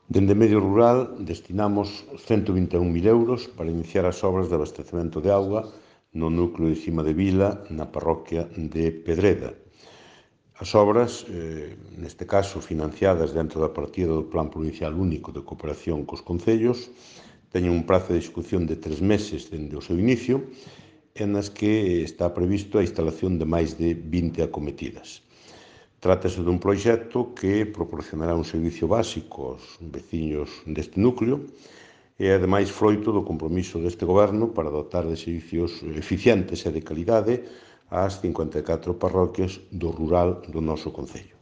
Dende Medio Rural destinamos 121.000 euros para iniciar as obras de abastecemento de auga no núcleo de Cima de Vila, na parroquia de Pedreda. As obras, neste caso financiadas dentro da partida do Plan Provincial Único de Cooperación cos concellos, teñen un prazo de execución de 3 meses dende o seu inicio, e nas que está previsto a instalación de máis de 20 acometidas. Trátase dun proxecto que proporcionará un servicio básico aos veciños deste núcleo e, ademais, froito do compromiso deste goberno para dotar de servicios eficientes e de calidade ás 54 parroquias do rural do noso concello.